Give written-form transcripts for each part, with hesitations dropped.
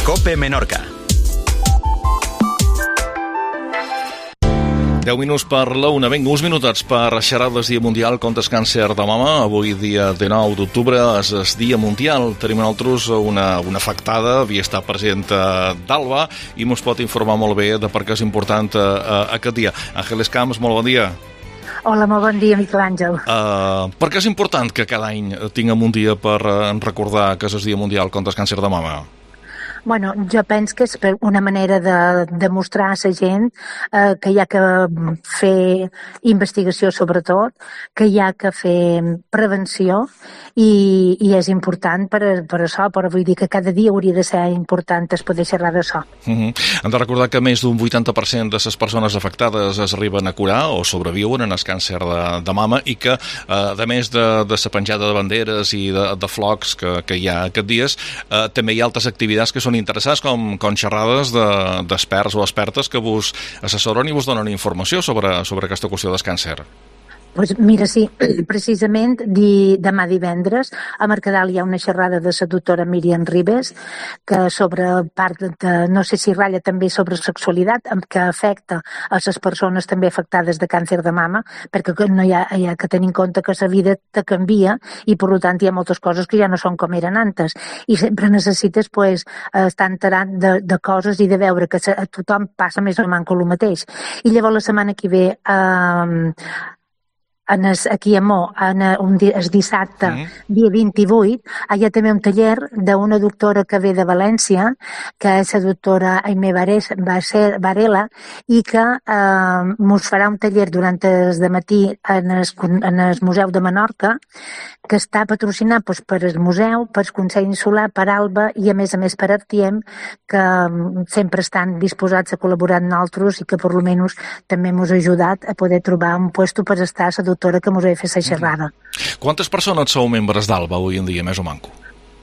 COPE Menorca. 10 minuts per la una. Vinga, uns minutats per xerrades Dia Mundial contra el càncer de mama. Avui, dia 19 d'octubre, és el Dia Mundial. Tenim nosaltres una afectada, havia estat present d'Alba, i ens pot informar molt bé de per què és important aquest dia. Àngeles Camps, molt bon dia. Hola, molt bon dia, Miquel Àngel. Per què és important que cada any tinguem un dia per recordar que és el Dia Mundial contra el càncer de mama? Bueno, jo penso que és una manera de demostrar a la gent que hi ha que fer investigació sobretot, que hi ha que fer prevenció i és important per això, però vull dir que cada dia hauria de ser important es poder xerrar d'això. Hem de recordar que més d'un 80% de les persones afectades es arriben a curar o sobreviuen en el càncer de mama i que, a més de la penjada de banderes i de flocs que hi ha aquests dies, també hi ha altres activitats que són interessants, com xerrades d'experts o expertes que vos assessoren i vos donen informació sobre aquesta qüestió del càncer. Pues mira, sí, precisament demà divendres a Mercadal hi ha una xerrada de la doctora Míriam Ribes que sobre part de, no sé si ratlla també sobre sexualitat, que afecta a les persones també afectades de càncer de mama, perquè no hi ha que tenir en compte que la vida te canvia i per tant hi ha moltes coses que ja no són com eren antes i sempre necessites estar enterat de coses i de veure que a tothom passa més o menys el mateix. I llavors la setmana que ve aquí a Mo, el dissabte, dia 28, hi ha també un taller d'una doctora que ve de València, que és la doctora Aimé Varela, i que ens farà un taller durant el dematí en el Museu de Menorca, que està patrocinat per el museu, per el Consell Insular, per Alba i a més per Artiem, que sempre estan disposats a col·laborar amb nosaltres i que per almenys també ens ha ajudat a poder trobar un puesto per estar a la doctora que ens ha fet la xerrada. Quantes persones sou membres d'Alba avui en dia, més o manco?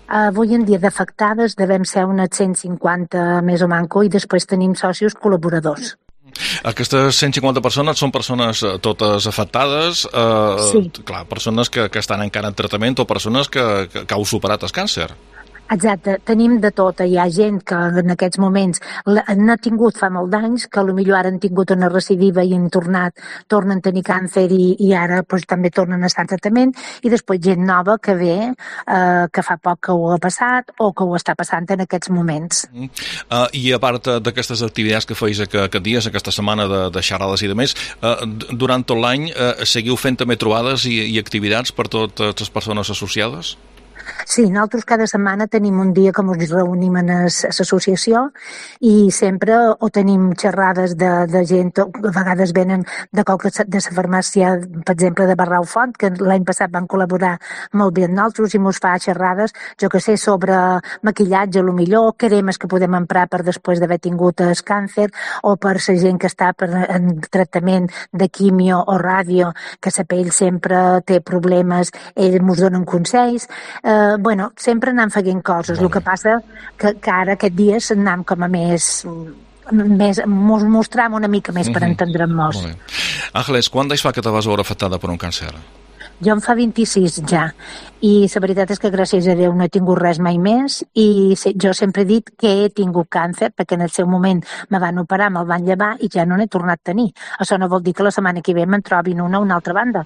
Avui en dia d'afectades devem ser unes 150 més o manco i després tenim socis col·laboradors. Aquestes 150 persones són persones totes afectades, sí. Clar, persones que estan encara en tractament o persones que heu superat el càncer. Exacte, tenim de tot. Hi ha gent que en aquests moments n'ha tingut fa molt d'anys, que potser ara han tingut una recidiva i tornen a tenir càncer i ara també tornen a estar en tractament, i després gent nova que ve, que fa poc que ho ha passat o que ho està passant en aquests moments. I a part d'aquestes activitats que feis aquest dia, aquesta setmana de xerrades i de més, durant tot l'any seguiu fent també trobades i activitats per totes les persones associades? Sí, nosaltres cada setmana tenim un dia que ens reunim en l'associació i sempre o tenim xerrades de gent, a vegades venen de la farmàcia, per exemple, de Barrau Font, que l'any passat van col·laborar molt bé amb nosaltres i ens fa xerrades, jo que sé, sobre maquillatge, millor, cremes que podem emprar per després d'haver tingut el càncer, o per la gent que està en tractament de quimio o ràdio, que la pell sempre té problemes, ells ens donen consells. Bueno, sempre anem fent coses. El que passa que ara aquest dia anem com a més mostrar una mica més per entendre'ns. Àngeles, quan d'anys fa que te vas veure afectada per un càncer? Jo em fa 26 ja, i la veritat és que gràcies a Déu no he tingut res mai més, i jo sempre he dit que he tingut càncer, perquè en el seu moment me van operar, me'l van llevar i ja no n'he tornat a tenir. Això no vol dir que la setmana que ve me'n trobin una altra banda,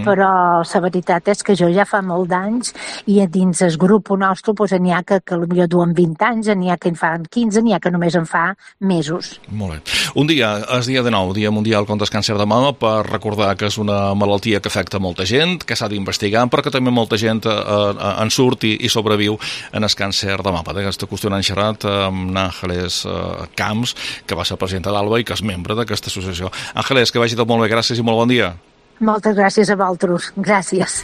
però la veritat és que jo ja fa molt d'anys i dins el grup nostre n'hi ha que potser duen 20 anys, n'hi ha que en fan 15, n'hi ha que només en fa mesos. Molt bé. Un dia, el dia 19, Dia Mundial contra el càncer de mama, per recordar que és una malaltia que afecta molta gent, que s'ha d'investigar, però que també molta gent en surt i sobreviu en el càncer de mama. D'aquesta qüestió n'han xerrat amb Àngeles Camps, que va ser presidenta d'Alba i que és membre d'aquesta associació. Àngeles, que vagi tot molt bé, gràcies i molt bon dia. Moltes gràcies a vosaltres. Gràcies.